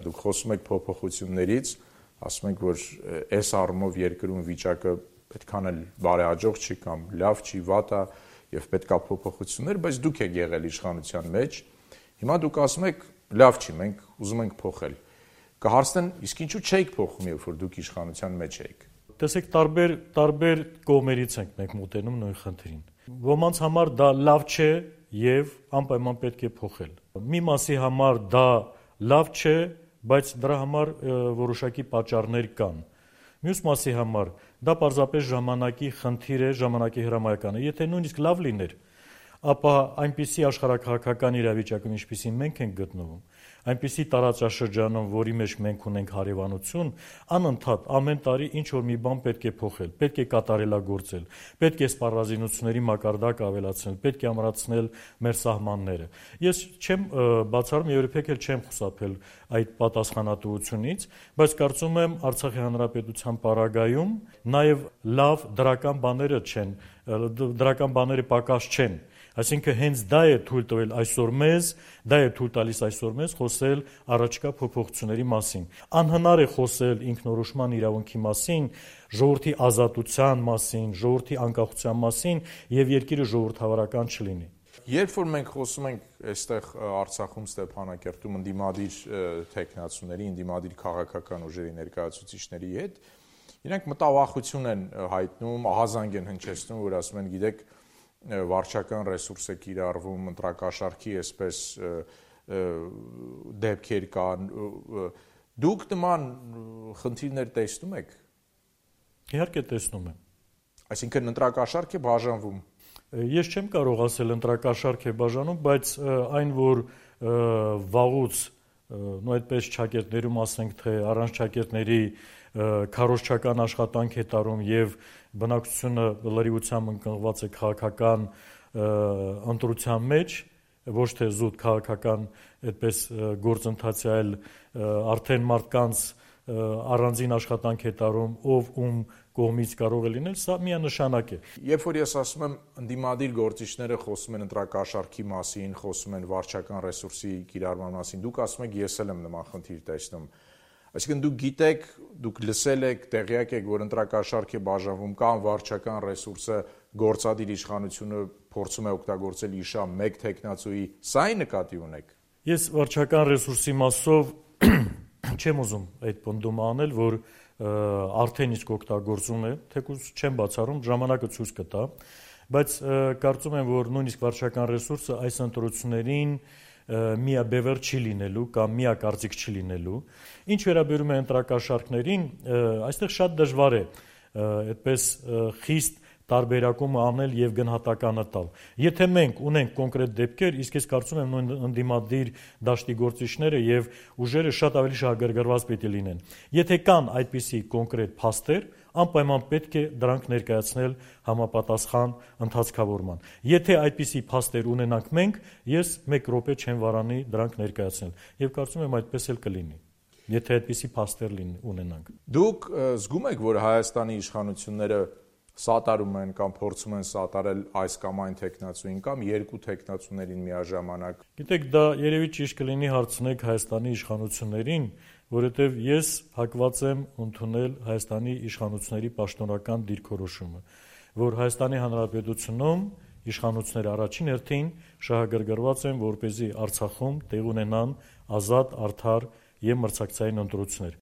դուք խոսում եք փոփոխություններից, ասում եք, որ այս առումով երկրում վիճակը պետքան էլ բարեհաջող չի կամ լավ չի, վատ է եւ պետքա փոփոխություններ, բայց դուք եք եղել իշխանության մեջ։ Հիմա դուք ասում եք, լավ չի, մենք ուզում ենք փոխել։ Կհարցնեն, իսկ ինչու չէիք փոխում, երբ որ դուք իշխանության մեջ էիք։ Տեսեք, տարբեր կողմերից ենք մենք մոտենում նույն խնդրին։ Ոմանց համար դա լավ չէ եւ անպայման պետք է փոխել։ Մի մասի համար դա լավ չէ, բայց դրա համար որոշակի պատճառներ կան։ Մյուս մասի համար դա պարզապես ժամանակի խնդիր է, ժամանակի հրամայական է։ Եթե նույնիսկ լավ լիներ, ապա այնպիսի աշխարհաքաղաքական իրավիճակում, ինչպիսին մենք ենք գտնվում, այնպիսի տարածաշրջանում, որի մեջ մենք ունենք հարևանություն, անընդհատ ամեն տարի ինչ որ մի բան պետք է փոխել, պետք է կատարելագործել, պետք է սպառազինությունների մակարդակ ավելացնել, պետք է ամրացնել մեր սահմանները։ Ես չեմ բացառում եւ երբեք էլ չեմ խուսափել այդ պատասխանատվությունից, բայց կարծում եմ Արցախի հանրապետության պարագայում նաեւ լավ դրական բաները պակաս չեն։ Այսինքն հենց դա է թույլ տվել այսօր մեզ, դա է թույլ տալիս այսօր մեզ խոսել առաջկա փոփոխությունների մասին։ Անհնար է խոսել ինքնորոշման իրավունքի մասին, ժողովրդի ազատության մասին, ժողովրդի անկախության մասին եւ երկիրը ժողովրդավարական չլինի։ Երբ որ մենք խոսում ենք այստեղ Արցախում, Ստեփանակերտում ընդդիմադիր տեխնացուների, ընդդիմադիր քաղաքական ուժերի ներկայացուցիչների հետ, իրենք մտավախություն են հայտնում, ահազանգ են հնչեցնում, որ ասում են, գիտեք, վարչական ռեսուրս է կիրառվում, ընտրակաշառքի այսպես դեպքեր կան, դուք նման խնդիրներ տեսնում եք։ Իհարկե տեսնում եմ։ Այսինքն ընտրակաշառք է բաժանվում։ Ես չեմ կարող ասել ընտրակաշառք է բաժանում, բայց այն որ վաղուց, այդպես ճակերտներում ասենք, թե առանց ճակերտների քարոզչական աշխատանք է տարում եւ բնակչությունը լրիվությամբ ընկղված է քաղաքական ընտրության մեջ, ոչ թե զուտ քաղաքական այդպես գործընթացի, այլ արդեն մարդկանց առանձին աշխատանք է տարում, ով ում կողմից կարող է լինել, սա միանշանակ է։ Երբ որ ես ասում եմ ընդդիմադիր գործիչները խոսում են ընտրակաշառքի մասին, խոսում են վարչական ռեսուրսի կիրառման մասին, դուք ասում եք ես էլ եմ նման խնդիր տեսնում։ Այսինքն դուք գիտեք, դուք լսել եք, տեղյակ եք, որ ընտրակաշառք է բաժանվում կամ վարչական ռեսուրսը գործադիր իշխանությունը փորձում է օգտագործել իշա մեկ տեխնացուի, սա նկատի ունեք։ Ես վարչական ռեսուրսի մասով չեմ ուզում այդ պնդումը անել, որ արդեն իսկ օգտագործում է, թեկուզ չեմ բացառում, ժամանակը ցույց կտա, բայց կարծում եմ, որ նույնիսկ վարչական ռեսուրսը այս ընտրություններին միաբևեռ չի լինելու կամ միակարծիք չի լինելու։ Ինչ վերաբերում է ընտրակաշառքներին, այստեղ շատ դժվար է այդպես խիստ տարբերակումը անել եւ գնահատականը տալ։ Եթե մենք ունենք կոնկրետ դեպքեր, իսկ ես կարծում եմ նույն ընդդիմադիր դաշտի գործիչները եւ ուժերը շատ ավելի շահագրգռված պետք է լինեն։ Եթե կան այդպիսի կոնկրետ փաստեր, անպայման պետք է դրանք ներկայացնել համապատասխան ընթացքավորման։ Եթե այդպիսի փաստեր ունենանք մենք, ես 1 րոպե չեմ վարանի դրանք ներկայացնել եւ կարծում եմ այդպես էլ կլինի։ Եթե այդպիսի փաստեր ունենանք։ Դուք զգում եք, որ Հայաստանի իշխանությունները սատարում են կամ փորձում են սատարել այս կամ այն տեխնացուին կամ երկու տեխնացուներին միաժամանակ։ Գիտեք, դա երևի ճիշտ կլինի հարցնեք Հայաստանի իշխանություններին, որովհետև ես հակված եմ ընդունել Հայաստանի իշխանությունների պաշտոնական դիրքորոշումը, որ Հայաստանի Հանրապետությունում իշխանությունները առաջին հերթին շահագրգռված են, որպեսզի Արցախում տեղ ունենան ազատ, արդար եւ մրցակցային ընտրություններ։